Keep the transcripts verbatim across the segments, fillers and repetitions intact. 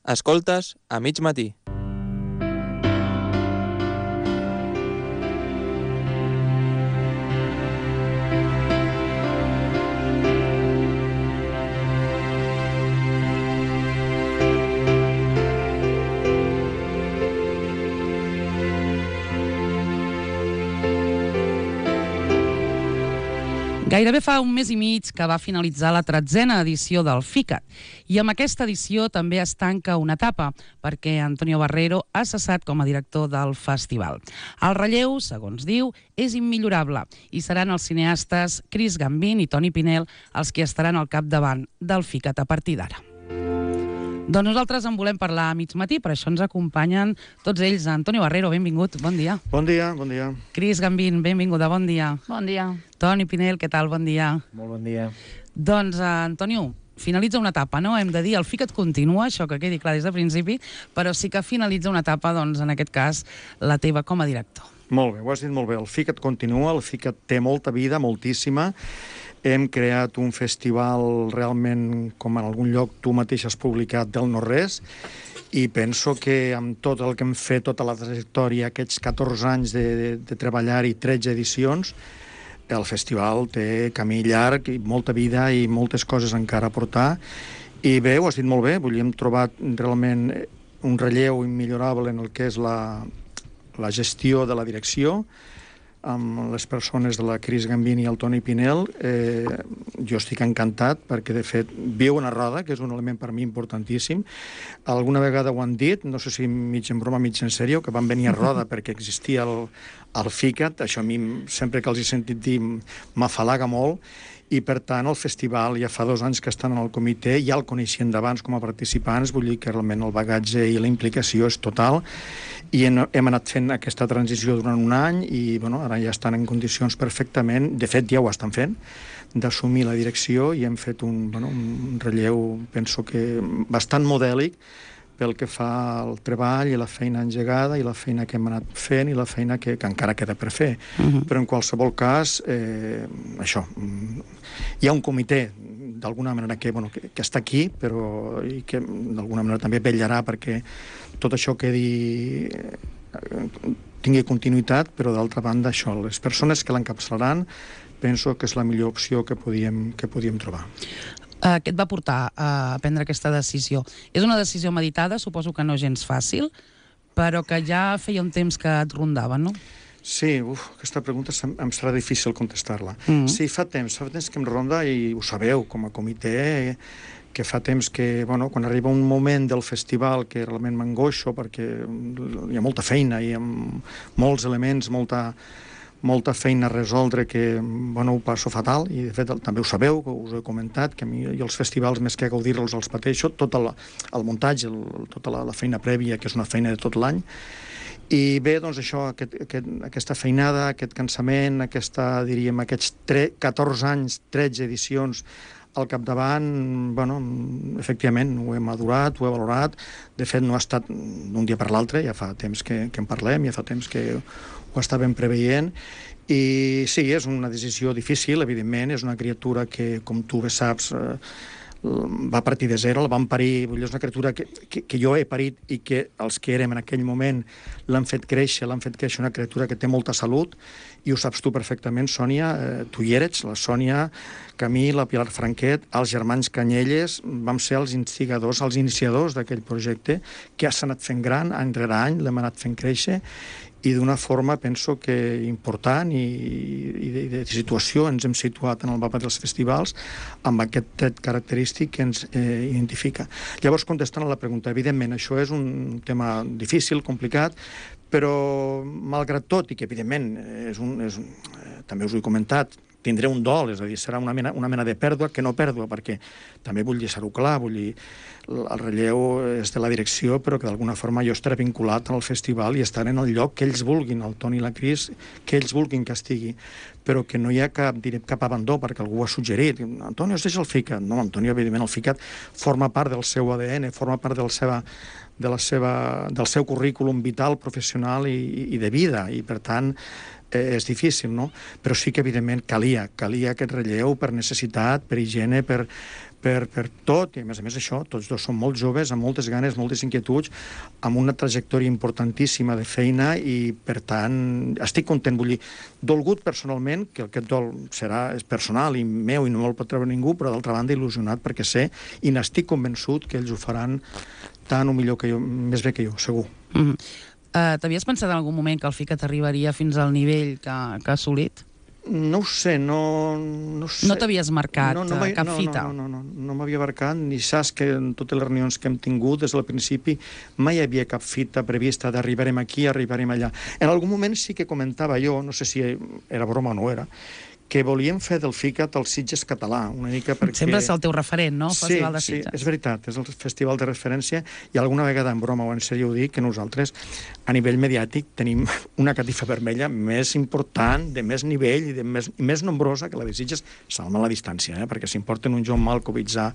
Escoltes a mig matí. Gairebé fa un mes i mig que va finalitzar la tretzena edició del FICAT i amb aquesta edició també es tanca una etapa perquè Antonio Barrero ha cessat com a director del festival. El relleu, segons diu, és immillorable i seran els cineastes Chris Gambin i Toni Pinel els que estaran al capdavant del FICAT a partir d'ara. Doncs nosaltres en volem parlar a mig matí, per això ens acompanyen tots ells. Antonio Barrero, benvingut, bon dia. Bon dia, bon dia. Chris Gambin, benvinguda, bon dia. Bon dia. Toni Pinel, què tal, bon dia. Molt bon dia. Doncs, uh, Antonio, finalitza una etapa, no? Hem de dir, el FICAT continua, això que quedi clar des de principi, però sí que finalitza una etapa, doncs, en aquest cas, la teva com a director. Molt bé, ho has dit molt bé. El FICAT continua, el FICAT té molta vida, moltíssima. Hem creat un festival realment, com en algun lloc tu mateix has publicat, del no-res, i penso que amb tot el que hem fet, tota la trajectòria, aquests catorze anys de, de, de treballar i tretze edicions, el festival té camí llarg i molta vida i moltes coses encara a portar. I bé, ho has dit molt bé, vull dir, hem trobat realment un relleu immillorable en el que és la, la gestió de la direcció, amb les persones de la Chris Gambin i el Toni Pinel. Eh, jo estic encantat perquè, de fet, viu una roda, que és un element per mi importantíssim. Alguna vegada ho han dit, no sé si mig en broma, mig en sèrio, que van venir a roda perquè existia el, el FICAT. Això a mi, sempre que els he sentit dir, m'afalaga molt. I, per tant, el festival ja fa dos anys que estan en el comitè, ja el coneixien d'abans com a participants, vull dir que realment el bagatge i la implicació és total, i hem, hem anat fent aquesta transició durant un any i bueno, ara ja estan en condicions perfectament, de fet ja ho estan fent, d'assumir la direcció i hem fet un, bueno, un relleu, penso que bastant modèlic, pel que fa al treball i la feina engegada i la feina que hem anat fent i la feina que, que encara queda per fer. Uh-huh. Però en qualsevol cas, eh, això, hi ha un comitè d'alguna manera que, bueno, que, que està aquí, però i que d'alguna manera també vetllarà perquè tot això quedi, eh, tingui continuïtat, però d'altra banda això, les persones que l'encapçalaran penso que és la millor opció que podíem, que podíem trobar. Uh, què et va portar a prendre aquesta decisió? És una decisió meditada, suposo que no gens fàcil, però que ja feia un temps que et rondava, no? Sí, uf, aquesta pregunta em serà difícil contestar-la. Mm-hmm. Sí, fa temps, fa temps que em ronda i ho sabeu, com a comitè, que fa temps que, bueno, quan arriba un moment del festival que realment m'angoixo perquè hi ha molta feina, hi ha molts elements, molta... molta feina a resoldre que, bueno, ho passo fatal, i de fet també ho sabeu, que us he comentat, que a mi i els festivals més que gaudir-los els pateixo, tot el, el muntatge, el, tota la, la feina prèvia, que és una feina de tot l'any. I bé, doncs això, aquest, aquest, aquesta feinada, aquest cansament, aquesta, diríem, aquests catorze anys, tretze edicions al capdavant, bueno, efectivament, ho hem adorat, ho he valorat. De fet, no ha estat d'un dia per l'altre, ja fa temps que, que en parlem, ja fa temps que ho estàvem preveient. I sí, és una decisió difícil, evidentment, és una criatura que, com tu bé saps, eh, va partir de zero, la van parir, vull dir, és una criatura que, que, que jo he parit i que els que érem en aquell moment l'han fet créixer, l'han fet créixer una criatura que té molta salut, i ho saps tu perfectament, Sònia, eh, tu hi eres, la Sònia, Camil, la Pilar Franquet, els germans Canyelles, vam ser els instigadors, els iniciadors d'aquell projecte, que s'ha anat fent gran, any rere any, l'hem anat fent créixer, i d'una forma, penso que important i, i de, de situació ens hem situat en el mapa dels festivals amb aquest tret característic que ens eh, identifica. Llavors, contestant a la pregunta, evidentment, això és un tema difícil, complicat, però malgrat tot, i que evidentment és un, és un, eh, també us ho he comentat, tindré un dol, és a dir, serà una mena, una mena de pèrdua que no pèrdua, perquè també vull deixar-ho clar, vull dir, el relleu és de la direcció, però que d'alguna forma jo estaré vinculat al festival i estaré en el lloc que ells vulguin, el Toni i la Cris, que ells vulguin que estigui, però que no hi ha cap, diré, cap abandó, perquè algú ho ha suggerit. Antonio, es deixa el FICAT. No, Antonio, evidentment, el FICAT forma part del seu A D N, forma part del seva, de la seva, del seu currículum vital, professional i, i de vida, i per tant eh, és difícil, no? Però sí que, evidentment, calia, calia aquest relleu per necessitat, per higiene, per, per, per tot, i a més a més això, tots dos són molt joves, amb moltes ganes, moltes inquietuds, amb una trajectòria importantíssima de feina i, per tant, estic content, vull dir, dolgut personalment, que aquest dol serà és personal i meu i no me'l pot treure ningú, però d'altra banda il·lusionat perquè sé i n'estic convençut que ells ho faran tant o millor que jo, més bé que jo, segur. Mm-hmm. Uh, T'havies pensat en algun moment que el FICAT arribaria fins al nivell que, que ha assolit? No ho sé, no... No, sé. No t'havies marcat no, no cap no, fita? No, no, no, no, no m'havia marcat, ni saps que en totes les reunions que hem tingut des del principi mai hi havia cap fita prevista d'arribarem aquí, arribarem allà. En algun moment sí que comentava jo, no sé si era broma o no era, que volíem fer del FICAT el Sitges català, una mica perquè... Sempre és el teu referent, no? El sí, Festival de Sitges. Sí, és veritat, és el festival de referència i alguna vegada en broma o en sèrio ho dic, que nosaltres a nivell mediàtic tenim una catifa vermella més important, de més nivell i de més, i més nombrosa que la de Sitges, salva la distància, eh? Perquè si em porten un John Malkovich a,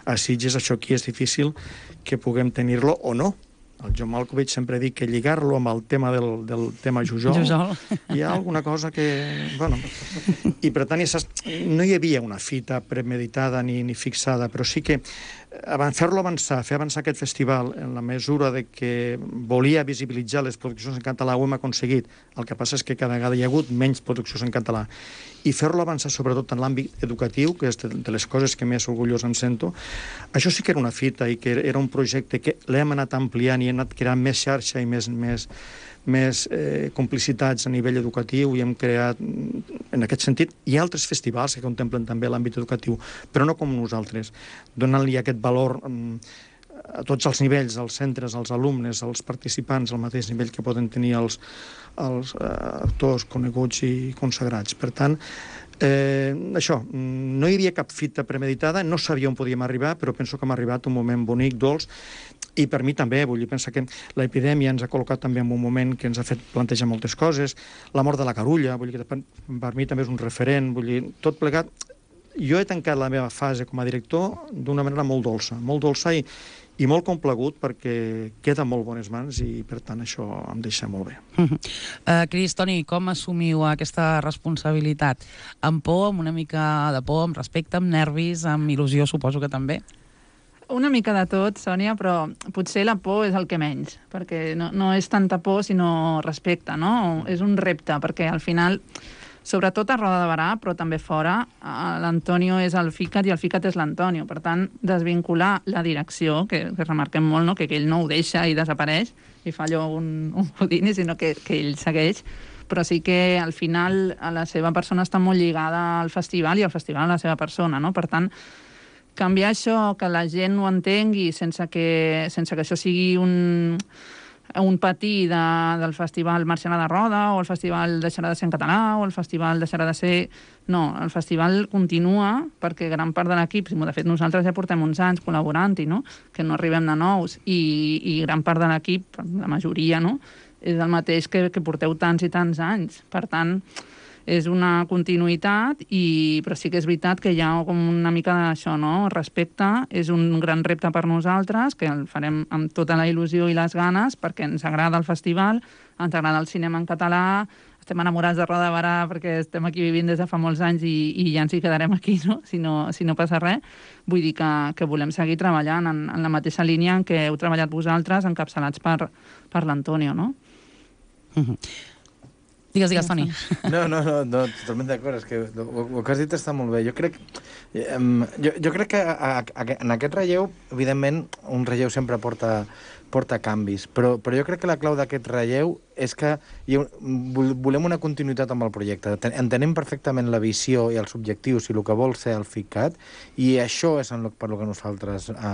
a Sitges, això aquí és difícil que puguem tenir-lo o no. El John Malkovich sempre dic que lligar-lo amb el tema del, del tema Jujol, Jujol, hi ha alguna cosa que... Bueno, i per tant, no hi havia una fita premeditada ni, ni fixada, però sí que fer-lo avançar, fer avançar aquest festival en la mesura de que volia visibilitzar les produccions en català, ho hem aconseguit. El que passa és que cada vegada hi ha hagut menys produccions en català. I fer-lo avançar sobretot en l'àmbit educatiu, que és de, de les coses que més orgullós em sento, això sí que era una fita i que era un projecte que l'hem anat ampliant i hem anat creant més xarxa i més, més, més eh, complicitats a nivell educatiu i hem creat, en aquest sentit, hi ha altres festivals que contemplen també l'àmbit educatiu, però no com nosaltres, donant-li aquest valor mm, a tots els nivells, als centres, als alumnes, als participants, al mateix nivell que poden tenir els, els eh, actors coneguts i consagrats. Per tant, eh, això, no hi havia cap fita premeditada, no sabia on podíem arribar, però penso que hem arribat a un moment bonic, dolç, i per mi també, vull dir, pensa que l'epidèmia ens ha col·locat també en un moment que ens ha fet plantejar moltes coses, la mort de la Carulla, vull dir que per mi també és un referent, vull dir, tot plegat. Jo he tancat la meva fase com a director d'una manera molt dolça, molt dolça i, i molt complagut perquè queda en molt bones mans i, per tant, això em deixa molt bé. Uh -huh. uh, Cris, Toni, com assumiu aquesta responsabilitat? Amb por, amb una mica de por, amb respecte, amb nervis, amb il·lusió, suposo que també? Una mica de tot, Sònia, però potser la por és el que menys, perquè no, no és tanta por, sinó respecte, no? És un repte, perquè al final, sobretot a Roda de Barà, però també fora, l'Antonio és el FICAT i el FICAT és l'Antonio. Per tant, desvincular la direcció, que, que remarquem molt, no? Que, que ell no ho deixa i desapareix, i fa allò un, un Houdini, sinó que, que ell segueix, però sí que al final la seva persona està molt lligada al festival i el festival a la seva persona, no? Per tant, canviar això, que la gent ho entengui sense que, sense que això sigui un, un patí de, del festival marxarà de roda o el festival deixarà de ser en català o el festival deixarà de ser... No, el festival continua perquè gran part de l'equip, de fet nosaltres ja portem uns anys col·laborant-hi, no? Que no arribem de nous i, i gran part de l'equip, la majoria, no? És el mateix que, que porteu tants i tants anys. Per tant, és una continuïtat, i, però sí que és veritat que hi ha com una mica d'això, no? Respecte, és un gran repte per nosaltres, que el farem amb tota la il·lusió i les ganes, perquè ens agrada el festival, ens agrada el cinema en català, estem enamorats de Roda de Barà perquè estem aquí vivint des de fa molts anys i, i ja ens hi quedarem aquí, no? Si no, si no passa res. Vull dir que, que volem seguir treballant en, en la mateixa línia en què heu treballat vosaltres, encapçalats per, per l'Antonio, no? Uh-huh. Digues, digues, Toni. No, no, no, no totalment d'acord. És que el, el que has dit està molt bé. Jo crec, um, jo, jo crec que a, a, en aquest relleu, evidentment, un relleu sempre porta, porta canvis, però, però jo crec que la clau d'aquest relleu és que hi ha, volem una continuïtat amb el projecte. Entenem perfectament la visió i els objectius i el que vol ser el FICAT, i això és en lo, per lo que nosaltres eh,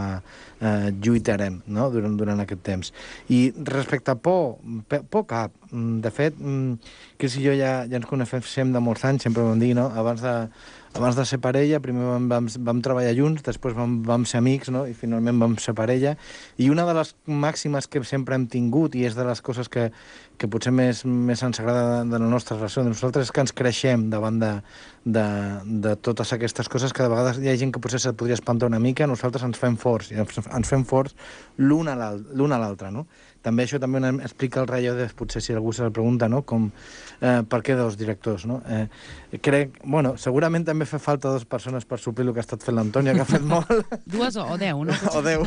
eh, lluitarem, no? durant, durant aquest temps. I respecte a por, por cap. De fet, Cris i jo ja, ja ens coneixem de molts anys, sempre ho vam dir, no? Abans de, abans de ser parella, primer vam, vam, vam treballar junts, després vam, vam ser amics, no? I finalment vam ser parella. I una de les màximes que sempre hem tingut, i és de les coses que, que potser més, més ens agrada de, de la nostra relació de nosaltres, és que ens creixem davant de, de, de totes aquestes coses, que de vegades hi ha gent que potser se't podria espantar una mica, nosaltres ens fem forts, i ens, ens fem forts l'un a l'altre, no? També això també explica el ratllo de, potser si algú se la pregunta, no? Com, eh, per què dos directors, no? Eh, crec, bueno, segurament també fa falta dues persones per suplir el que ha estat fent l'Antònia, que ha fet molt. Dues o, o deu, no? O deu.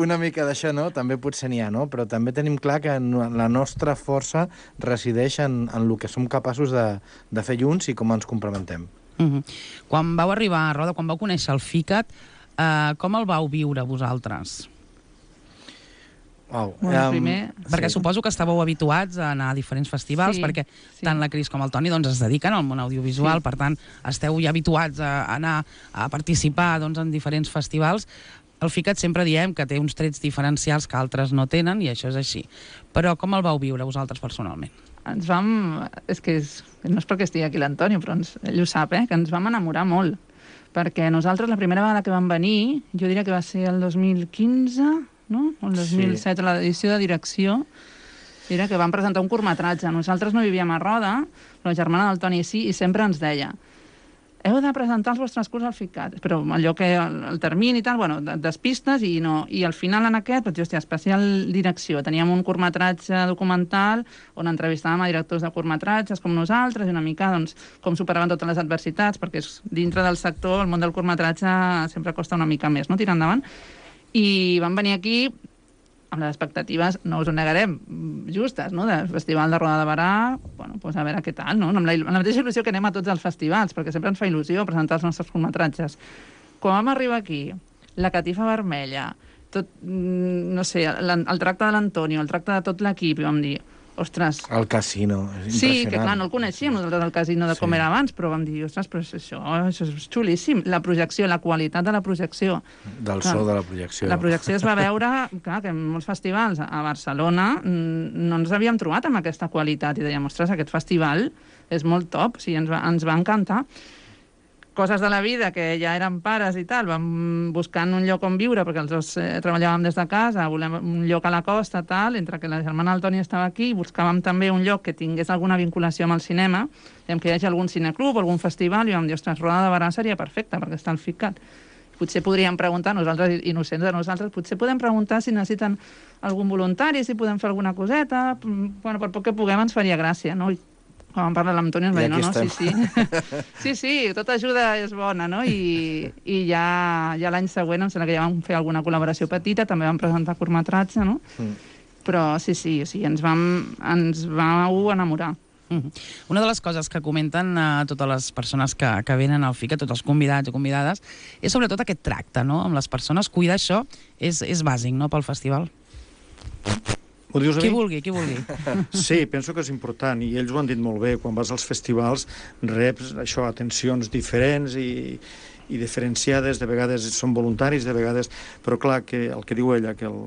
Una mica d'això, no? També potser n'hi ha, no? Però també tenim clar que la nostra força resideix en, en el que som capaços de, de fer junts i com ens complementem. Uh-huh. Quan vau arribar a Roda, quan vau conèixer el FICAT, eh, com el vau viure vosaltres? Wow. Bueno, um, primer... Perquè sí. Suposo que estàveu habituats a anar a diferents festivals, Sí, perquè sí. tant la Cris com el Toni doncs, es dediquen al món audiovisual, Sí. per tant, esteu ja habituats a anar a participar doncs, en diferents festivals. El FICAT sempre diem que té uns trets diferencials que altres no tenen, i això és així. Però com el vau viure vosaltres personalment? Ens vam... És que és... no és perquè estigui aquí l'Antonio, però ens... ell ho sap, eh? Que ens vam enamorar molt. Perquè nosaltres, la primera vegada que vam venir, jo diria que va ser el dos mil quinze, no? O el dos mil set, sí. A l'edició de direcció, era que vam presentar un curtmetratge. Nosaltres no vivíem a Roda, però la germana del Toni sí, i sempre ens deia: heu de presentar els vostres curts al FICAT. Però allò que el, el termini i tal, bueno, despistes, i no. I al final en aquest, doncs, hòstia, especial direcció. Teníem un curtmetratge documental on entrevistàvem a directors de curtmetratges com nosaltres, i una mica, doncs, com superaven totes les adversitats, perquè és, dintre del sector, el món del curtmetratge sempre costa una mica més, no?, tirar endavant. I vam venir aquí amb les expectatives, no us ho negarem, justes, no?, del Festival de Roda de Berà, bueno, doncs a veure què tal, no?, amb la, amb la mateixa il·lusió que anem a tots els festivals, perquè sempre ens fa il·lusió presentar els nostres curtmetratges. Quan vam arribar aquí, la catifa vermella, tot, no sé, el, el tracte de l'Antonio, el tracte de tot l'equip, i vam dir, ostres... El casino, és Sí, impressionant. que clar, no el coneixíem nosaltres, el casino de com Sí. era abans, però vam dir, ostres, però això, això és xulíssim. La projecció, la qualitat de la projecció. Del Clar, so de la projecció. La projecció es va veure, clar, que en molts festivals a Barcelona mm, no ens havíem trobat amb aquesta qualitat, i dèiem, ostres, aquest festival és molt top, sí, ens va, ens va encantar. Coses de la vida, que ja érem pares i tal, vam buscant un lloc on viure, perquè els dos eh, treballàvem des de casa, volem un lloc a la costa, tal, entre que la germana del Toni estava aquí, i buscàvem també un lloc que tingués alguna vinculació amb el cinema, dèiem que hi hagi algun cineclub, algun festival, i vam dir, ostres, Roda de Berà seria perfecta, perquè està al FICAT. Potser podríem preguntar, nosaltres, innocents de nosaltres, potser podem preguntar si necessiten algun voluntari, si podem fer alguna coseta, bueno, per poc que puguem ens faria gràcia, no? I quan vam parlar amb l'Antoni ens va dir, no, no, sí, sí. Sí, sí, tota ajuda és bona, no? I, i ja, ja l'any següent em sembla que ja vam fer alguna col·laboració petita, també vam presentar curtmetratge, no? Mm. Però sí, sí, o sigui, ens vam, ens vau enamorar. Mm. Una de les coses que comenten a uh, totes les persones que, que venen al FICAT, tots els convidats o convidades, és sobretot aquest tracte, no?, amb les persones. Cuidar això és, és bàsic, no?, pel festival. Ho dius a Qui mi? vulgui, qui vulgui. Sí, penso que és important, i ells ho han dit molt bé. Quan vas als festivals reps això, atencions diferents i, i diferenciades, de vegades són voluntaris, de vegades... Però clar, que el que diu ella, que el,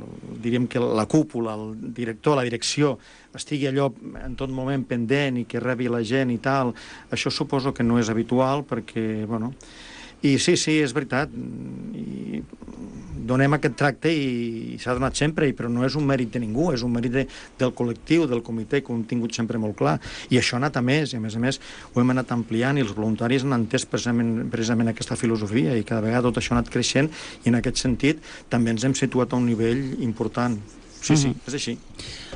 diríem que la cúpula, el director, la direcció, estigui allò en tot moment pendent i que rebi la gent i tal, això suposo que no és habitual, perquè, bueno... I sí, sí, és veritat, i donem aquest tracte i s'ha donat sempre, però no és un mèrit de ningú, és un mèrit de, del col·lectiu, del comitè, que ho hem tingut sempre molt clar, i això ha anat a més, i a més a més ho hem anat ampliant, i els voluntaris han entès precisament, precisament aquesta filosofia, i cada vegada tot això ha anat creixent, i en aquest sentit també ens hem situat a un nivell important. Sí, sí, Mhm. és així.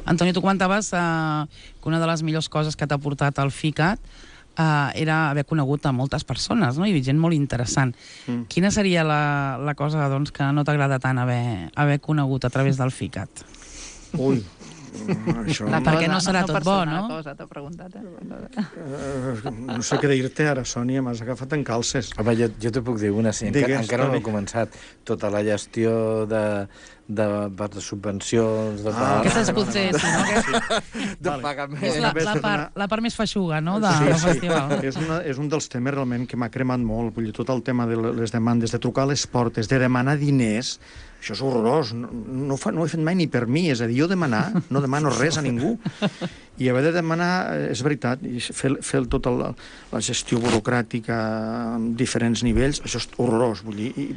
Antoni, tu comentaves uh, que una de les millors coses que t'ha portat al FICAT Uh, era haver conegut a moltes persones, no?, i gent molt interessant. Mm. Quina seria la, la cosa, doncs, que no t'agrada tant haver, haver conegut a través del FICAT? Ui, això... La Perquè cosa, no serà tot bo, persona, no? La cosa, t'ha preguntat, eh? Uh, no sé què dir-te ara, Sònia, m'has agafat en calces. Home, jo, jo t'ho puc dir una, sí, encara, Digues, encara no Toni. he començat. Tota la gestió de, de, de subvencions... De Ah, Aquesta és potser, sí, no? Que de Vale. pagament. és la, la, part, la part més feixuga, no?, de, del festival. És, una, és un dels temes realment que m'ha cremat molt. Vull dir, tot el tema de les demandes, de trucar a les portes, de demanar diners, això és horrorós. No, no, fa, no ho he fet mai ni per mi. És a dir, jo demanar, no demano res a ningú. I haver de demanar, és veritat, i fer, fer tota la, la gestió burocràtica amb diferents nivells, això és horrorós, vull dir, i,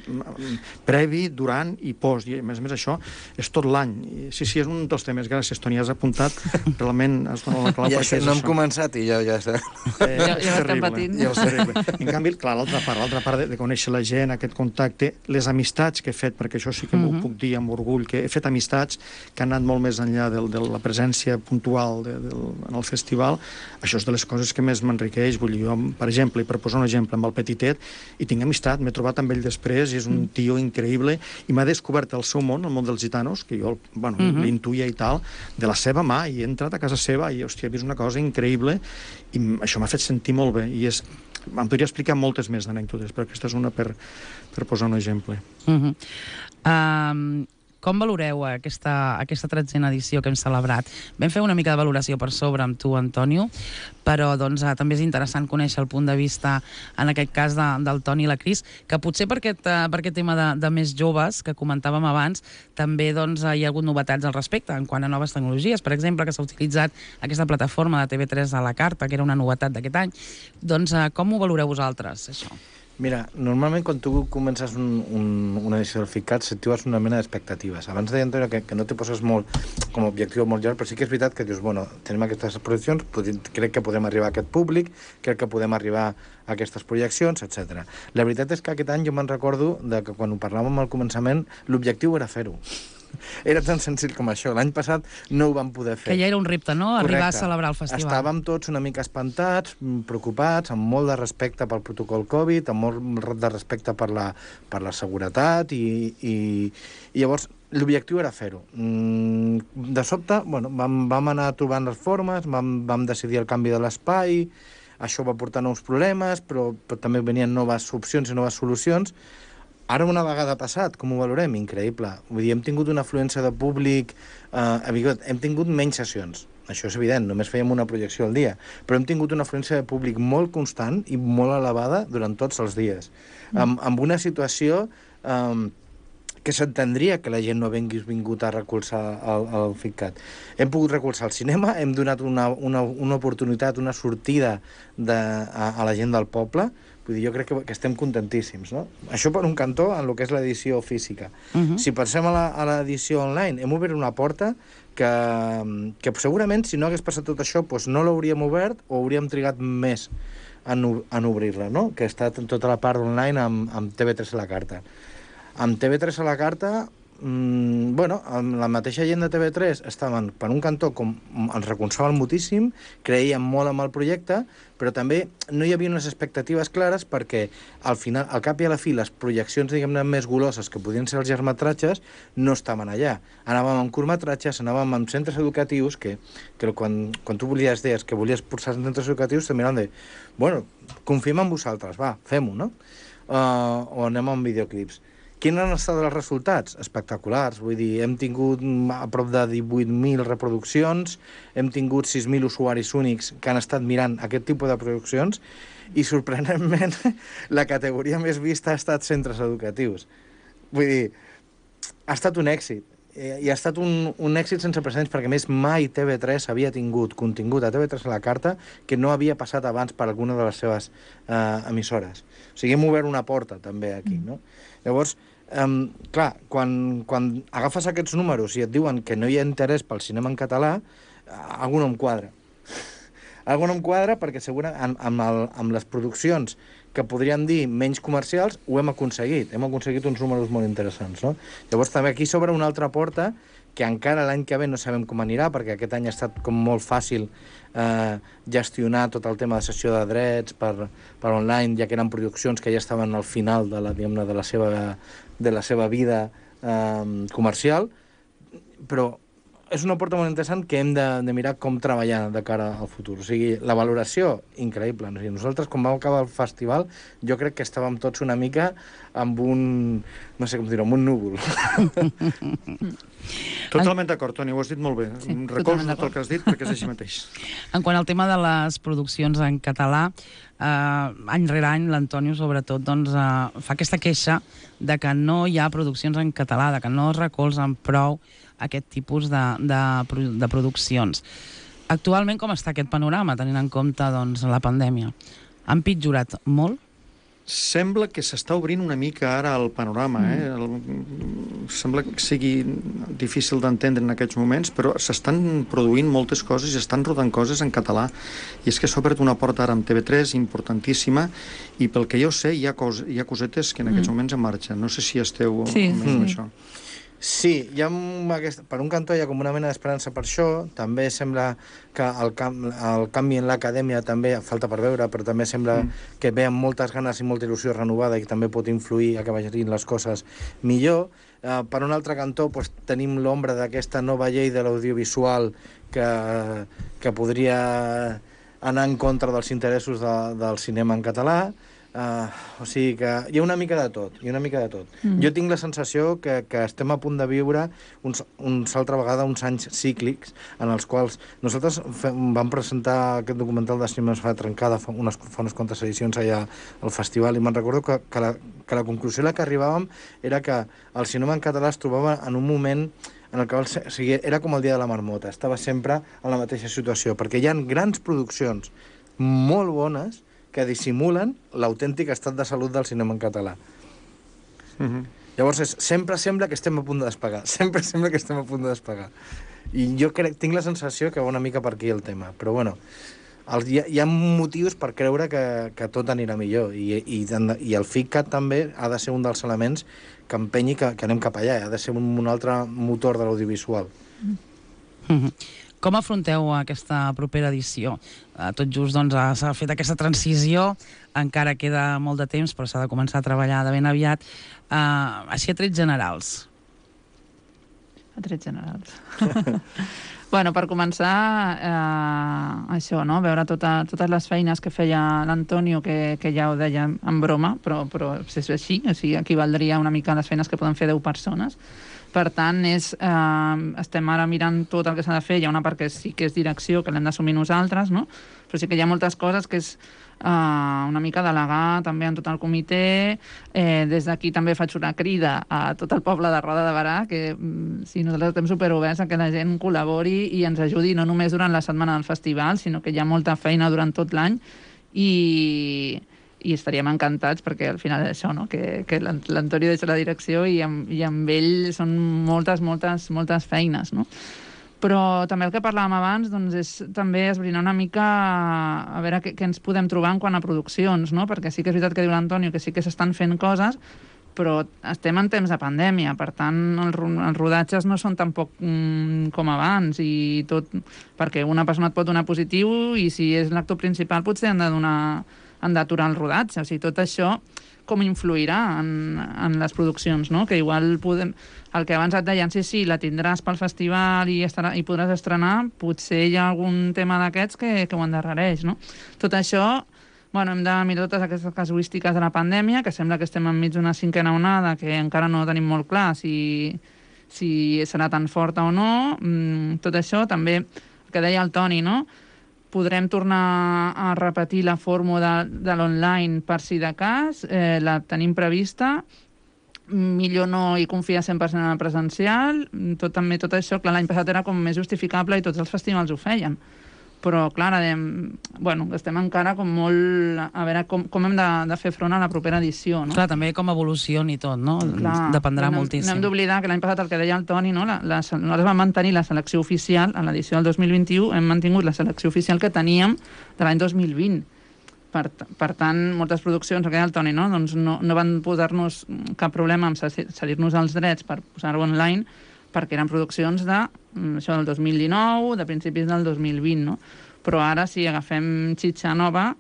previ, durant i post, i a més a més això és tot l'any. Sí, sí, és un dels temes, gràcies, Toni, has apuntat, realment has donat la clau ja, perquè és no hem això. començat i ja, ja està. Eh, Ja- és ja l'estem terrible, patint. és terrible. En canvi, clar, l'altra part, l'altra part de, de conèixer la gent, aquest contacte, les amistats que he fet, perquè això sí que m'ho puc dir amb orgull, que he fet amistats que han anat molt més enllà del, de la presència puntual de, del, en el festival, això és de les coses que més m'enriqueix. Vull dir, jo, per exemple, i per posar un exemple, amb el Petitet, i tinc amistat, m'he trobat amb ell després, i és un tio increïble, i m'ha descobert el seu món, el món dels gitanos, que jo, bueno, uh -huh. l'intuïa i tal, de la seva mà, i he entrat a casa seva, i, hòstia, he vist una cosa increïble, i això m'ha fet sentir molt bé, i és... Em podria explicar moltes més d'anècdotes, però aquesta és una per, per posar un exemple. Uh -huh. um, com valoreu aquesta, aquesta tretzena edició que hem celebrat? Vam fer una mica de valoració per sobre amb tu, Antonio, però doncs, eh, també és interessant conèixer el punt de vista, en aquest cas, de, del Toni i la Cris, que potser per aquest, eh, per aquest tema de, de més joves, que comentàvem abans, també doncs, hi ha hagut novetats al respecte, en quant a noves tecnologies. Per exemple, que s'ha utilitzat aquesta plataforma de T V tres a la carta, que era una novetat d'aquest any. Doncs eh, com ho valoreu vosaltres, això? Mira, normalment quan tu comences un, un, una edició del FICAT s'actives una mena d'expectatives. Abans deia, Antonio, que, que no te poses molt com a objectiu molt llarg, però sí que és veritat que dius, bueno, tenim aquestes projeccions, crec que podem arribar a aquest públic, crec que podem arribar a aquestes projeccions, etcètera. La veritat és que aquest any jo me'n recordo de que quan ho parlàvem al començament, l'objectiu era fer-ho. Era tan senzill com això. L'any passat no ho vam poder fer. Que ja era un repte, no?, Correcte. arribar a celebrar el festival. Estàvem tots una mica espantats, preocupats, amb molt de respecte pel protocol Covid, amb molt de respecte per la, per la seguretat, i, i, i llavors l'objectiu era fer-ho. De sobte, bueno, vam, vam anar trobant les formes, vam, vam decidir el canvi de l'espai, això va portar nous problemes, però, però també venien noves opcions i noves solucions. Ara, una vegada passat, com ho valorem? Increïble. Vull dir, hem tingut una afluència de públic... Eh, hem tingut menys sessions. Això és evident, només fèiem una projecció al dia. Però hem tingut una afluència de públic molt constant i molt elevada durant tots els dies. Mm. Amb, amb una situació eh, que s'entendria que la gent no hagués vingut a recolzar el, el FICAT. Hem pogut recolzar el cinema, hem donat una, una, una oportunitat, una sortida de, a, a la gent del poble. Vull dir, jo crec que, que estem contentíssims, no? Això per un cantó en el que és l'edició física. Uh-huh. Si pensem a l'edició online, hem obert una porta que, que segurament, si no hagués passat tot això, doncs no l'hauríem obert o hauríem trigat més en, en obrir-la, no? Que ha estat tota la part online amb, amb T V tres a la carta. Amb T V tres a la carta, mmm, bueno, amb la mateixa gent de T V tres estaven, per un cantó, com ens recolzaven moltíssim, creien molt en el projecte, però també no hi havia unes expectatives clares perquè al final, al cap i a la fi, les projeccions, diguem-ne, més goloses, que podien ser els llargmetratges, no estaven allà. Anàvem amb curtmetratges, anàvem amb centres educatius, que, que quan, quan tu volies, deies que volies posar centres educatius, te miraven de, bueno, confiem en vosaltres, va, fem-ho, no? Uh, o anem amb videoclips. Quins han estat els resultats? Espectaculars. Vull dir, hem tingut a prop de divuit mil reproduccions, hem tingut sis mil usuaris únics que han estat mirant aquest tipus de produccions i, sorprenentment, la categoria més vista ha estat centres educatius. Vull dir, ha estat un èxit. I ha estat un, un èxit sense precedents, perquè a més mai T V tres havia tingut contingut a T V tres a la carta que no havia passat abans per alguna de les seves eh, emissores. O sigui, hem obert una porta també aquí, no? Llavors, Um, clar, quan, quan agafes aquests números i et diuen que no hi ha interès pel cinema en català, algú no em quadra. Algú no em quadra perquè segurament amb, el, amb les produccions que podríem dir menys comercials ho hem aconseguit. Hem aconseguit uns números molt interessants, no? Llavors també aquí s'obre una altra porta que encara l'any que ve no sabem com anirà, perquè aquest any ha estat com molt fàcil eh, gestionar tot el tema de cessió de drets per, per online, ja que eren produccions que ja estaven al final de la, diguem-ne, de la seva, de la seva vida eh, comercial, però és una porta molt interessant que hem de, de mirar com treballar de cara al futur. O sigui, la valoració, increïble. O sigui, nosaltres, quan vam acabar el festival, jo crec que estàvem tots una mica amb un, no sé com dir-ho, amb un núvol. Totalment d'acord, Toni, ho has dit molt bé. Sí, recolzo tot el que has dit perquè és així mateix. En quant al tema de les produccions en català, eh, any rere any l'Antonio, sobretot, doncs, eh, fa aquesta queixa de que no hi ha produccions en català, de que no es recolzen prou aquest tipus de, de, de produccions. Actualment, com està aquest panorama, tenint en compte doncs, la pandèmia? Han pitjorat molt? Sembla que s'està obrint una mica ara el panorama. Eh? El, sembla que sigui difícil d'entendre en aquests moments, però s'estan produint moltes coses i estan rodant coses en català. I és que s'ha obert una porta ara amb T V tres importantíssima i pel que jo sé hi ha, cos, hi ha cosetes que en aquests mm. moments en marxa. No sé si esteu sí. amb mm. això. Sí, hi ha aquest, per un cantó hi ha com una mena d'esperança per això. També sembla que el, cam, el canvi en l'acadèmia també falta per veure, però també sembla mm. que ve amb moltes ganes i molta il·lusió renovada i que també pot influir a que vagin les coses millor. Uh, per un altre cantó pues, tenim l'ombra d'aquesta nova llei de l'audiovisual que, que podria anar en contra dels interessos de, del cinema en català. Uh, o sigui que hi ha una mica de tot, hi ha una mica de tot. Mm. Jo tinc la sensació que, que estem a punt de viure uns, uns altra vegada uns anys cíclics en els quals nosaltres fem, vam presentar aquest documental de cinema fa trencada fa unes, fa unes quantes edicions allà al festival i me'n recordo que, que, la, que la conclusió a la que arribàvem era que el cinema en català es trobava en un moment en el que o sigui, era com el dia de la marmota, estava sempre en la mateixa situació, perquè hi ha grans produccions molt bones que dissimulen l'autèntic estat de salut del cinema en català. Uh-huh. Llavors, és, sempre sembla que estem a punt de despegar. Sempre sembla que estem a punt de despegar. I jo crec, tinc la sensació que va una mica per aquí el tema. Però, bueno, el, hi, ha, hi ha motius per creure que, que tot anirà millor. I, i, i el FICAT també ha de ser un dels elements que empenyi que, que anem cap allà. Ha de ser un, un altre motor de l'audiovisual. Uh-huh. Com afronteu aquesta propera edició? Tot just doncs, s'ha fet aquesta transició, encara queda molt de temps, però s'ha de començar a treballar de ben aviat. Uh, així a trets generals. A trets generals. Bueno, per començar, eh, això, no? Veure tota, totes les feines que feia l'Antonio, que, que ja ho deia en broma, però, però és així, o sigui, equivaldria una mica a les feines que poden fer deu persones. Per tant, és, eh, estem ara mirant tot el que s'ha de fer. Hi ha una part que sí que és direcció, que l'hem d'assumir nosaltres, no? Però sí que hi ha moltes coses que és eh, una mica delegar també en tot el comitè. Eh, des d'aquí també faig una crida a tot el poble de Roda de Berà, que mm, sí, nosaltres estem superoberts a que la gent col·labori i ens ajudi no només durant la setmana del festival, sinó que hi ha molta feina durant tot l'any i... i estaríem encantats perquè al final és això, no? que, que l'Antoni deixa la direcció i amb, i amb ell són moltes, moltes, moltes feines, no? Però també el que parlàvem abans doncs és també esbrinar una mica a veure què, què ens podem trobar en quant a produccions, no? Perquè sí que és veritat que diu l'Antonio que sí que s'estan fent coses, però estem en temps de pandèmia, per tant els, els rodatges no són tampoc mm, com abans i tot, perquè una persona et pot donar positiu i si és l'actor principal potser han de donar han d'aturar el rodatge, o sigui, tot això com influirà en, en les produccions, no? Que igual podem... El que abans et deien, sí, sí, la tindràs pel festival i, estarà, i podràs estrenar, potser hi ha algun tema d'aquests que, que ho endarrereix, no? Tot això, bueno, hem de mirar totes aquestes casuístiques de la pandèmia, que sembla que estem enmig d'una cinquena onada, que encara no tenim molt clar si, si serà tan forta o no. Mm, tot això, també, el que deia el Toni, no? Podrem tornar a repetir la fórmula de, de l'online per si de cas, eh, la tenim prevista, millor no hi confiar cent per cent en el presencial, tot, també tot això, clar, l'any passat era com més justificable i tots els festivals ho feien, però clar, de, bueno, estem encara com molt a veure com, com hem de, de fer front a la propera edició, no? Clar, també com evolucioni tot, no? Clar, dependrà no, moltíssim. No hem d'oblidar que l'any passat el que deia el Toni, no? La, la, nosaltres vam mantenir la selecció oficial, en l'edició del dos mil vint-i-u hem mantingut la selecció oficial que teníem de l'any dos mil vint. Per, per tant, moltes produccions, el que deia el Toni, no? Doncs no, no van posar-nos cap problema en cedir-nos els drets per posar-ho online, perquè eren produccions de, això, del dos mil dinou, de principis del dos mil vint, no? Però ara, si agafem xitxa nova,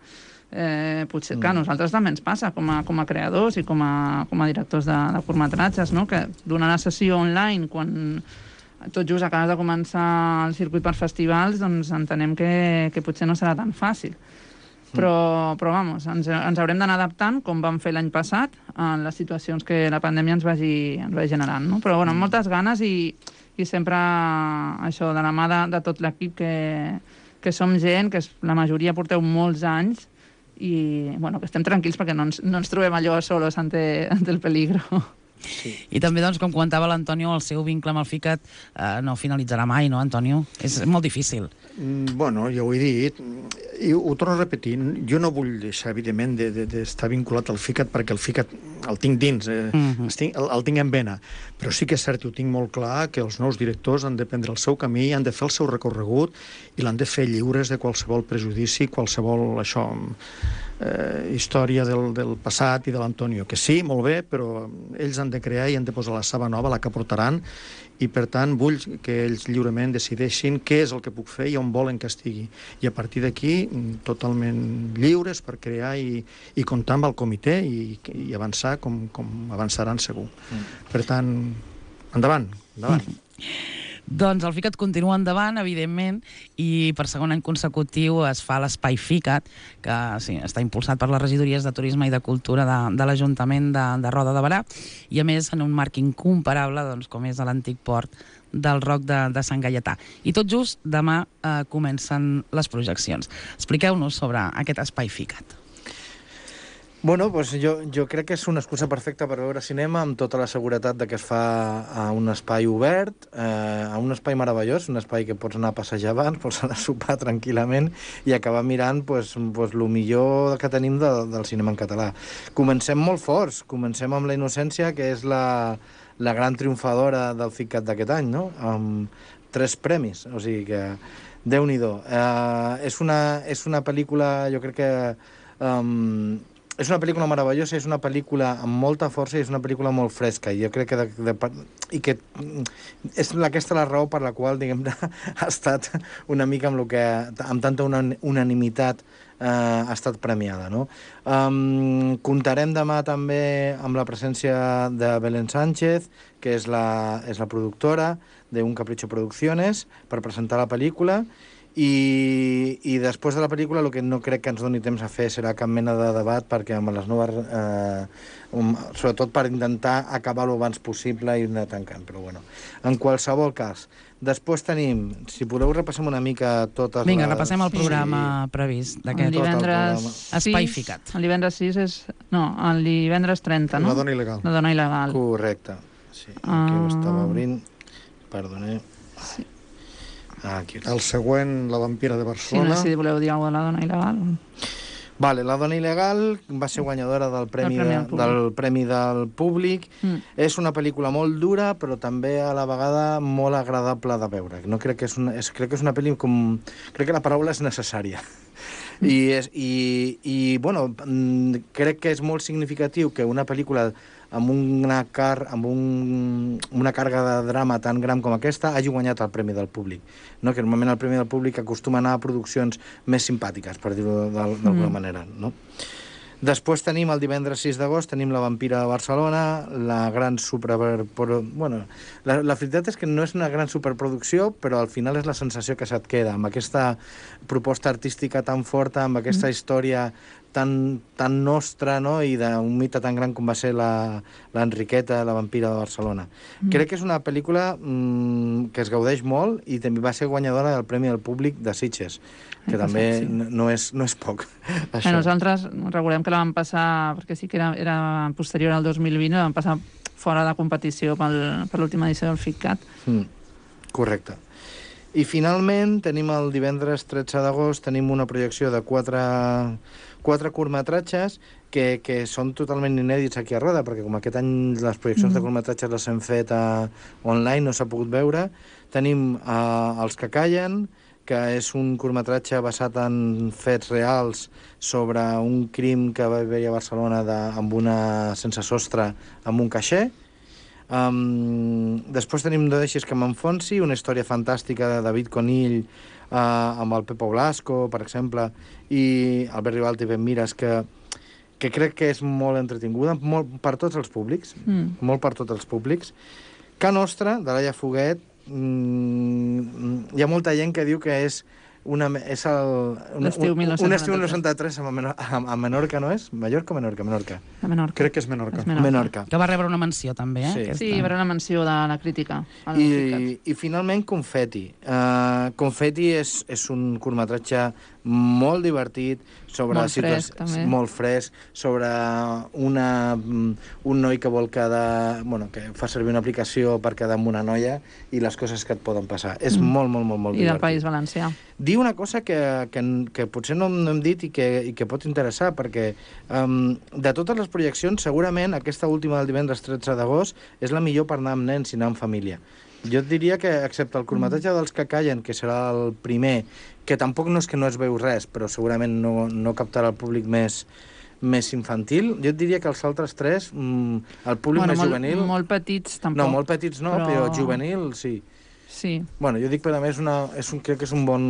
eh, potser, mm. clar, a nosaltres també ens passa, com a, com a creadors i com a, com a directors de, de curtmetratges, no? Que donar la sessió online quan tot just acabes de començar el circuit per festivals, doncs entenem que, que potser no serà tan fàcil. Però, però vamos, ens, ens haurem d'anar adaptant, com vam fer l'any passat, a les situacions que la pandèmia ens vagi, ens vagi generant, no? Però, bueno, amb moltes ganes i, i sempre això, de la mà de, de tot l'equip que, que som gent, que la majoria porteu molts anys i, bueno, que estem tranquils perquè no ens, no ens trobem allò solos ante, ante el peligro. Sí. I també, doncs, com comentava l'Antonio, el seu vincle amb el FICAT eh, no finalitzarà mai, no, Antonio? És molt difícil. Mm, Bueno, ja ho he dit, i ho torno a repetir, jo no vull deixar, evidentment, de- de- d'estar vinculat al FICAT, perquè el FICAT el tinc dins, eh, Mhm. estic, el, el tinc en vena, però sí que és cert, i ho tinc molt clar, que els nous directors han de prendre el seu camí, han de fer el seu recorregut i l'han de fer lliures de qualsevol prejudici, qualsevol, això, eh, història del, del passat i de l'Antonio, que sí, molt bé, però ells han de crear i han de posar la saba nova, la que portaran, i per tant vull que ells lliurement decideixin què és el que puc fer i on volen que estigui. I a partir d'aquí, mm, totalment lliures per crear i, i comptar amb el comitè i, i avançar com, com avançaran segur. Mm. Per tant, endavant, endavant. Mm. Doncs el FICAT continua endavant, evidentment, i per segon any consecutiu es fa l'Espai FICAT, que sí, està impulsat per les regidories de Turisme i de Cultura de, de l'Ajuntament de, de Roda de Berà, i a més en un marc incomparable, doncs, com és l'antic port del Roc de, de Sant Gaietà. I tot just demà eh, comencen les projeccions. Expliqueu-nos sobre aquest Espai FICAT. Bueno, doncs jo, jo crec que és una excusa perfecta per veure cinema amb tota la seguretat de que es fa a un espai obert, eh, a un espai meravellós, un espai que pots anar a passejar abans, pots anar a sopar tranquil·lament i acabar mirant pues, pues, el millor que tenim de, del cinema en català. Comencem molt forts, comencem amb La innocència, que és la, la gran triomfadora del FICAT d'aquest any, no? Amb tres premis, o sigui que Déu-n'hi-do. Eh, és, una, és una pel·lícula, jo crec que... Um, és una pel·lícula meravellosa, és una pel·lícula amb molta força i és una pel·lícula molt fresca. I jo crec que... De, de, i que és aquesta la raó per la qual, diguem-ne, ha estat una mica amb, lo que, amb tanta una, unanimitat eh, ha estat premiada, no? Um, comptarem demà també amb la presència de Belén Sánchez, que és la, és la productora d'Un Capricho Producciones, per presentar la pel·lícula. I, i després de la pel·lícula el que no crec que ens doni temps a fer serà cap mena de debat, perquè amb les noves eh, um, sobretot per intentar acabar-ho abans possible i anar tancant, però bueno, en qualsevol cas. Després tenim, si podeu repassem una mica totes Vinga, les... repassem el programa sí. previst El d'aquest divendres Espai sis, FICAT. El divendres sis és... No, el divendres trenta, no? La dona il·legal. La dona il·legal. Correcte. Sí, aquí ho Ah. estava obrint. Perdoneu. Sí. Ah, aquí ho El següent, La vampira de Sí, no Barcelona. sé si voleu dir alguna cosa de la dona il·legal. Vale, La dona il·legal va ser guanyadora del Premi, Premi de, al Públic. del Premi del Públic. Mm. És una pel·lícula molt dura, però també a la vegada molt agradable de veure. No crec que és una, és, crec que és una pel·li com... Crec que la paraula és necessària. I, és, i, i, bueno, mm, crec que és molt significatiu que una pel·lícula amb una, car amb un, una càrrega de drama tan gran com aquesta hagi guanyat el Premi del Públic. No? Que normalment el Premi del Públic acostuma a anar a produccions més simpàtiques, per dir-ho d'alguna mm. manera. No? Després tenim el divendres sis d'agost, tenim La vampira de Barcelona, la gran super... Bueno, la, la veritat és que no és una gran superproducció, però al final és la sensació que se't queda, amb aquesta proposta artística tan forta, amb aquesta mm. història tan, tan nostra, no? I d'un mite tan gran com va ser la, l'Enriqueta, la vampira de Barcelona. Mm. Crec que és una pel·lícula mm, que es gaudeix molt i també va ser guanyadora del Premi del Públic de Sitges, que L'any també passat, sí. no, no, és, no és poc. A nosaltres recordem que la vam passar, perquè sí que era, era posterior al dos mil vint, la vam passar fora de competició pel, per l'última edició del FICAT. Mm, correcte. I finalment tenim el divendres tretze d'agost, tenim una projecció de quatre, quatre curtmetratges que, que són totalment inèdits aquí a Roda, perquè com aquest any les projeccions mm. de curtmetratges les hem fet a, online, no s'ha pogut veure. Tenim uh, Els que callen, que és un curtmetratge basat en fets reals sobre un crim que va haver-hi a Barcelona de, amb una sense sostre amb un caixer. Um, després tenim No deixis que m'enfonsi, una història fantàstica de David Conill uh, amb el Pepo Blasco, per exemple, i Albert Ribalta i Ben Mires, que, que crec que és molt entretinguda, molt per tots els públics, mm. molt per tots els públics. Ca Nostra, de Laia Foguet, mm, hi ha molta gent que diu que és una, és el, un, L'estiu un, un estiu mil nou-cents noranta-tres a, Menor, a, a Menorca, no és? Mallorca o Menorca? Menorca. A Menorca. Crec que és Menorca. És Menorca. Menorca. Que va rebre una menció, també, eh? Sí. aquesta. Sí, hi haurà una menció de la crítica. al FICAT. I, I finalment Confetti. Uh, Confetti és, és un curtmetratge molt divertit sobre Molt fresc, situacions- també. molt fresc, sobre una, un noi que vol quedar... Bueno, que fa servir una aplicació per quedar amb una noia i les coses que et poden passar. És Mm. molt, molt, molt, molt I del divertit. País Valencià. Dir una cosa que, que, que potser no, no hem dit i que, i que pot interessar, perquè um, de totes les projeccions, segurament aquesta última del divendres tretze d'agost és la millor per anar amb nens i anar amb família. Jo et diria que, excepte el curtmetratge dels que callen, que serà el primer, que tampoc no és que no es veu res, però segurament no, no captarà el públic més, més infantil, jo et diria que els altres tres, mm, el públic Bueno, més molt, juvenil... molt petits, tampoc. No, molt petits no, però, però juvenil sí. Sí. Bueno, jo dic, però a més, una, és un, crec que és un bon,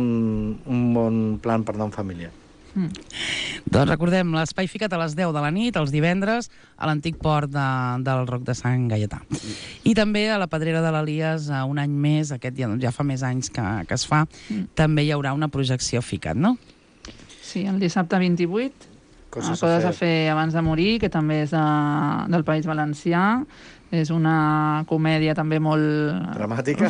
un bon plan per anar en família. Mm. Doncs recordem, l'Espai Ficat a les deu de la nit, els divendres, a l'antic port de, del Roc de Sant Gaietà. I també a la Pedrera de l'Elies, un any més, aquest ja, ja fa més anys que, que es fa, Mm. també hi haurà una projecció Ficat, no? Sí, el dissabte vint-i-vuit, Coses, Coses a fer abans de morir, que també és de, del País Valencià. És una comèdia també molt... Dramàtica.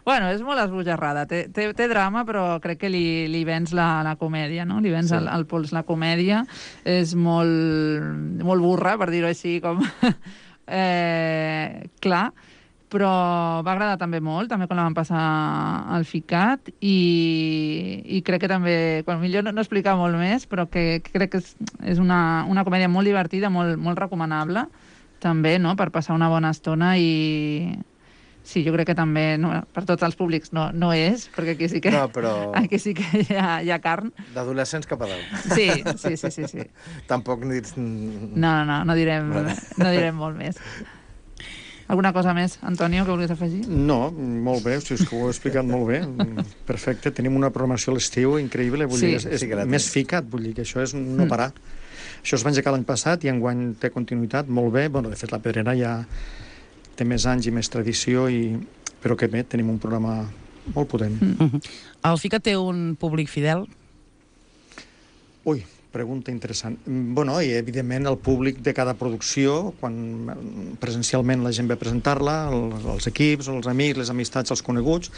Bueno, és molt esbojarrada. Té, té, té drama, però crec que li, li vens la, la comèdia, no? Li vens Sí. el, el pols la comèdia. És molt, molt burra, per dir-ho així, com... eh, clar, però va agradar també molt, també quan la vam passar al Ficat, i, i crec que també, quan millor no, no explicar molt més, però que, que crec que és, és una, una comèdia molt divertida, molt, molt recomanable, també, no?, per passar una bona estona. I sí, jo crec que també, no, per tots els públics no, no és, perquè aquí sí que, No, però aquí sí que hi ha, hi ha carn. d'adolescents cap a dalt. Sí, sí, sí, sí, sí. Tampoc ni... No, no, no, no direm, Vale. no direm molt més. Alguna cosa més, Antonio, que vulguis afegir? No, molt bé, si és que ho he explicat molt bé. Perfecte, tenim una programació a l'estiu increïble, vull Sí. dir, és, és Sí que la més tenim. ficat, vull dir que això és no Mm. parar. Això es va engegar l'any passat i enguany té continuïtat, molt bé. Bueno, de fet, la Pedrera ja té més anys i més tradició, i... però que bé, tenim un programa molt potent. Mm. Uh -huh. El Ficat té un públic fidel? Ui, pregunta interessant. Mm, Bueno, i evidentment el públic de cada producció, quan mm, presencialment la gent ve a presentar-la, els, els equips, els amics, les amistats, els coneguts,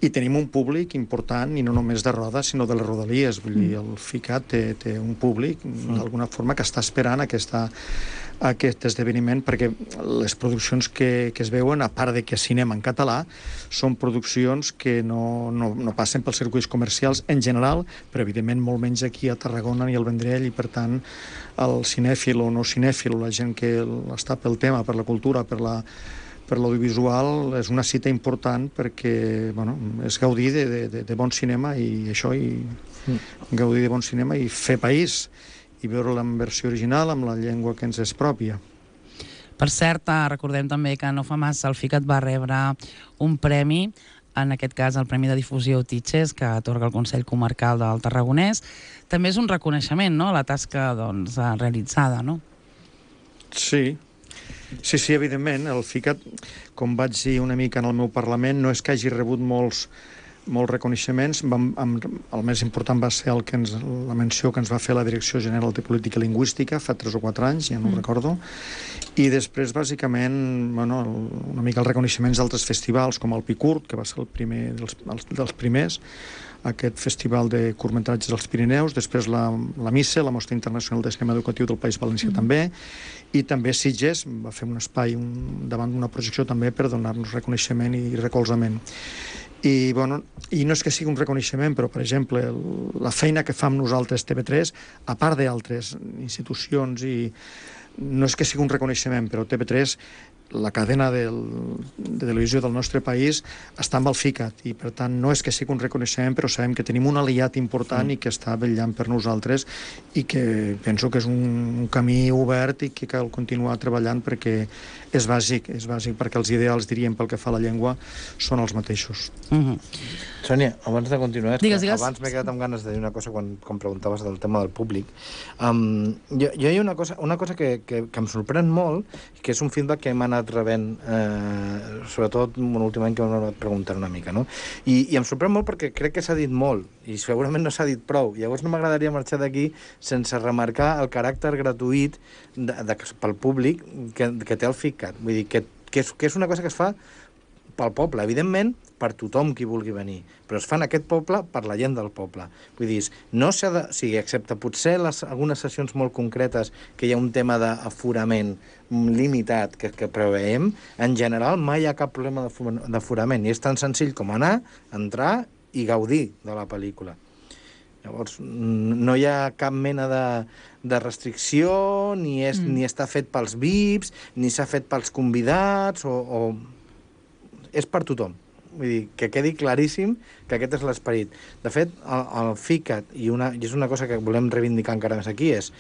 i tenim un públic important, i no només de Roda, sinó de les Rodalies. Vull dir, el Ficat té, té un públic, d'alguna forma, que està esperant aquesta, aquest esdeveniment, perquè les produccions que, que es veuen, a part de que cinema en català, són produccions que no, no, no passen pels circuits comercials en general, però evidentment molt menys aquí a Tarragona i al Vendrell, i per tant el cinèfil o no cinèfil, la gent que està pel tema, per la cultura, per la per l'audiovisual, és una cita important, perquè bueno, és gaudir de, de, de bon cinema i això, i gaudir de bon cinema i fer país, i veure-la en versió original, amb la llengua que ens és pròpia. Per cert, eh, recordem també que no fa massa el Ficat va rebre un premi, en aquest cas el Premi de Difusió Titxes, que atorga el Consell Comarcal del Tarragonès. També és un reconeixement, no?, a la tasca doncs, eh, realitzada, no? Sí, sí, sí, evidentment. El Ficat, com vaig dir una mica en el meu Parlament, no és que hagi rebut molts, molts reconeixements. Vam, amb, el més important va ser el que ens, la menció que ens va fer la Direcció General de Política Lingüística fa tres o quatre anys, ja no mm. ho recordo. I després, bàsicament, bueno, el, una mica els reconeixements d'altres festivals, com el Picurt, que va ser el primer dels, els, dels primers, aquest festival de curtmetratges dels Pirineus, després la, la MICE, la Mostra Internacional de Cinema Educatiu del País Valencià, mm. també, i també Sitges va fer un espai un, davant d'una projecció també per donar-nos reconeixement i recolzament. I, bueno, i no és que sigui un reconeixement, però, per exemple, el, la feina que fa amb nosaltres T V tres, a part d'altres institucions, i no és que sigui un reconeixement, però T V tres, la cadena del, de televisió del nostre país, està amb el Ficat, i per tant no és que sigui un reconeixement, però sabem que tenim un aliat important mm. i que està vetllant per nosaltres, i que penso que és un, un camí obert i que cal continuar treballant, perquè és bàsic, és bàsic, perquè els ideals, diríem, pel que fa a la llengua, són els mateixos. Uh -huh. Sònia, abans de continuar, digues, digues. abans m'he quedat amb ganes de dir una cosa quan, quan preguntaves del tema del públic. Um, jo, jo hi ha una cosa, una cosa que, que, que em sorprèn molt, que és un feedback que hem anat rebent, eh, sobretot un últim any que m'hem anat preguntant una mica, no? I, i em sorprèn molt perquè crec que s'ha dit molt, i segurament no s'ha dit prou. Llavors no m'agradaria marxar d'aquí sense remarcar el caràcter gratuït de, de, pel públic que, que té el Ficat. Vull dir, que, que, és, que és una cosa que es fa pel poble, evidentment, per tothom qui vulgui venir, però es fan aquest poble per la gent del poble. Vull dir, no s'ha de... O sigui, excepte potser les, algunes sessions molt concretes que hi ha un tema d'aforament limitat que, que preveiem, en general mai hi ha cap problema d'aforament, i és tan senzill com anar, entrar i gaudir de la pel·lícula. Llavors, no hi ha cap mena de, de restricció, ni, és, mm. ni està fet pels V I Ps, ni s'ha fet pels convidats, o, o... és per tothom. Vull dir, que quedi claríssim que aquest és l'esperit. De fet, el, el FICAT, i, una, i és una cosa que volem reivindicar encara més aquí, és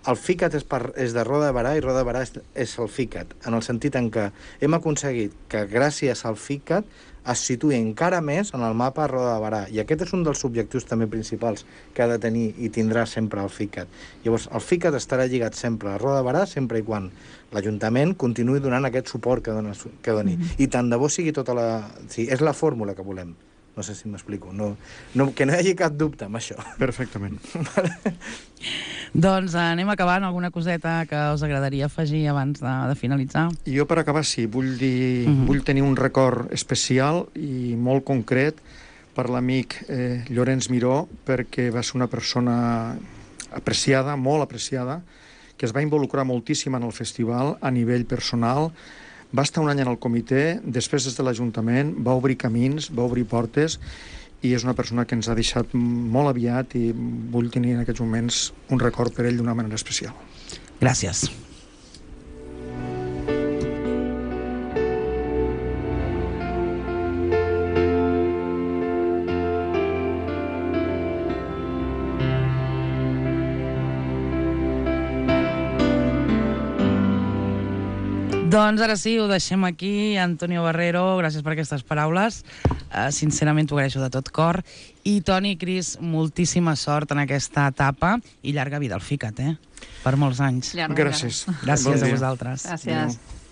el FICAT és, per, és de Roda de Barà i Roda de Barà és, és el FICAT, en el sentit en què hem aconseguit que gràcies al FICAT es situï encara més en el mapa Roda de Barà. I aquest és un dels objectius també principals que ha de tenir i tindrà sempre el FICAT. Llavors, el FICAT estarà lligat sempre a Roda de Barà, sempre i quan l'Ajuntament continuï donant aquest suport que, dona, que doni. Mm-hmm. I tant de bo sigui tota la... Sí, és la fórmula que volem. No sé si m'explico. No, no, que no hi hagi cap dubte amb això. Perfectament. Doncs anem acabant. Alguna coseta que us agradaria afegir abans de, de finalitzar? I jo, per acabar, sí, vull, dir, uh-huh. vull tenir un record especial i molt concret per l'amic eh, Llorenç Miró, perquè va ser una persona apreciada, molt apreciada, que es va involucrar moltíssim en el festival a nivell personal. Va estar un any en el comitè, després des de l'Ajuntament, va obrir camins, va obrir portes, i és una persona que ens ha deixat molt aviat i vull tenir en aquests moments un record per ell d'una manera especial. Gràcies. Doncs ara sí, ho deixem aquí. Antonio Barrero, gràcies per aquestes paraules. Uh, sincerament t'ho agraeixo de tot cor. I Toni, Cris, moltíssima sort en aquesta etapa i llarga vida al FICAT, eh? Per molts anys. Llarga, gràcies. Gràcies bon a vosaltres. Gràcies. Adéu.